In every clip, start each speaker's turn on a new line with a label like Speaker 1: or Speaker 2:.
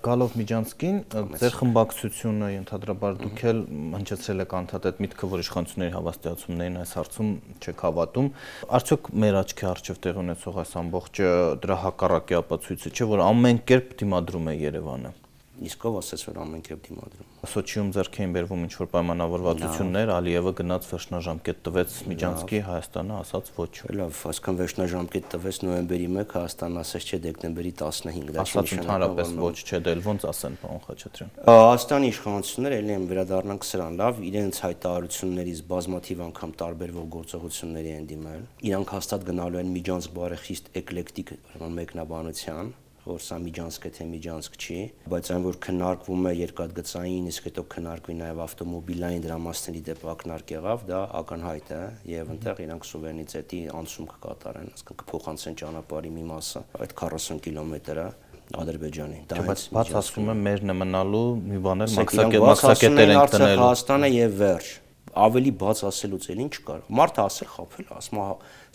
Speaker 1: Գալով Միջանցքին, ձեր խմբակցությունը ենթադրաբար դուք էլ հնչեցրել եք անդադար միտքը, որ իշխանությունների հավաստիացումներին այս հարցում չեք հավատում, արդյոք մեր աչքի առջև տեղի ունեցող այս ամբողջը դրա հակառակի ապացույցը չէ, որ ամեն կերպ դիմադրում է Երևանը։
Speaker 2: Իսկ ով ասաց, որ ամեն կերպ դիմադրում։
Speaker 1: Սոչիում ձեռք էին բերվում ինչ-որ պայմանավորվածություններ, Ալիևը գնաց վերջնաժամկետ տվեց Միջանցքի, Հայաստանը ասաց ոչ։
Speaker 2: Լավ, այսքան վերջնաժամկետ տվեց նոյեմբերի 1, Հայաստանը ասաց չէ դեկտեմբերի 15, դա
Speaker 1: չի նշանակում ոչ, չէ, դե ոնց ասեն, պարոն Խաչատրյան։
Speaker 2: Հայաստանի իշխանությունները ելի են վերադառնանք սրան, լավ, իրենց հայտարարություններից բազմաթիվ անգամ տարբերվող գործողությունների են դիմել։ Իրանք հաստատ գնալու են Միջանցք բարեխիստ էկլեկտիկ մեկնաբանության, որ սա Միջանցք է թե Միջանցք չի, բայց այն որ քննարկվում է երկաթգծային, իսկ հետո քննարկվի նաև ավտոմոբիլային դրամասների դեպ ակնարկ եղավ, դա ակնհայտ է եւ այնտեղ իրանք սուվերենիտետի անցում կկատարեն, այսինքն կփոխանցեն ճանապարհի մի մասը, այդ 40 կիլոմետրը Ադրբեջանի։
Speaker 1: Դա բաց ասում եմ մերն է մնալու մի բան էլ մաքսակետեր են տնելու։
Speaker 2: Հայաստանը եւ վերջ։ Ավելի բաց ասելուց էլ ինչ կար։ Մարդը ասել խափել, ասում է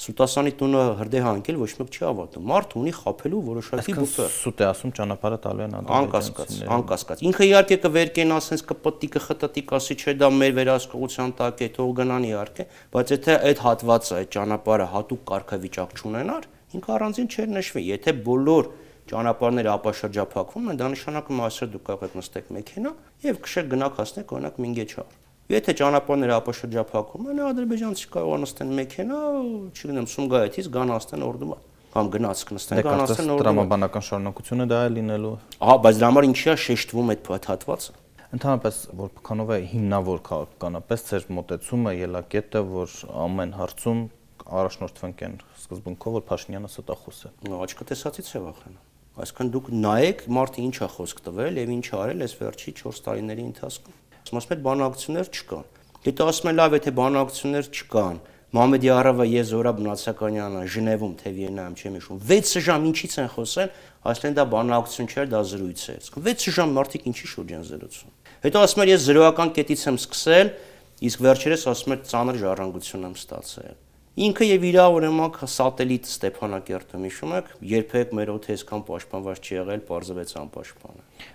Speaker 2: Սուտասանի տունը հրդեհ հանգել ոչ մեկ չի ավարտում։ Մարդ ունի խափելու որոշակի բուֆեր։
Speaker 1: Սուտ է ասում ճանապարհը տալու են
Speaker 2: ադրբեջանցիներին։ Անկասկած։ Ինքը իհարկե կվերկեն, ասենց կպտի, կխտտի, կասի չէ դա մեր վերահսկողության տակ է, թող գնան իհարկե, բայց եթե այդ հատվածը, այդ ճանապարհը հատուկ կարգավիճակ չունենար, ինքը առանձին չէր նշվի։ Եթե բոլոր ճանապարհները ապաշրջափակվում են, դա նշանակում է այսօր դուք կարող եք նստեք մեքենա եւ քշեք գնաք հասնեք օրինակ Մինգեչհար։ Եթե ճանապարհները ապաշրջափակվում են, ադրբեջանցի կարող նստեն մեքենա, չգիտեմ, Սումգայիթից գան աստեն Օրդուբա, կամ գնացք նստեն գան աստեն Օրդուբա։
Speaker 1: Տրամաբանական շարունակությունը դա է լինելու։
Speaker 2: Ահա, բայց դրա համար ինչի է շեշտվում այդ հատվածը։
Speaker 1: Ընդհանրապես, որքանով է հիմնավոր քաղաքականապես ձեր մոտեցումը, ելակետը, որ ամեն հարցում առաջնորդվենք այն սկզբունքով, որ Փաշինյանը ստախոս է։
Speaker 2: Աչքը տեսածից է վախենում։ Այսինքն դուք նայեք մարդը ինչ է խոսք տվել եւ ինչ արել այս վերջի 4 տարիների ընթացքում։ Ասում են բանակցություններ չկան։ Եթե ասում են լավ, եթե բանակցություններ չկան, Մամեդիարովը եւ Զորաբ Նացականյանը Ժնևում թե Վիեննայում չեմ հիշում 6 ժամ ինչից են խոսել, ասեն դա բանակցություն չէր, դա զրույց է։ 6 ժամ մարդիկ ինչի շուրջ են զրուցում։ Հետո ասում են ես զրոյական կետից եմ սկսել, իսկ վերջերս ասում են ծանր ժառանգություն եմ ստացել։ Ինքը եւ իր օրինակ սատելիտ Ստեփանակերտում հիշում եք, երբեք մեր օդը այսքան պաշտպանված չի եղել, պարզվեց անպաշտպան։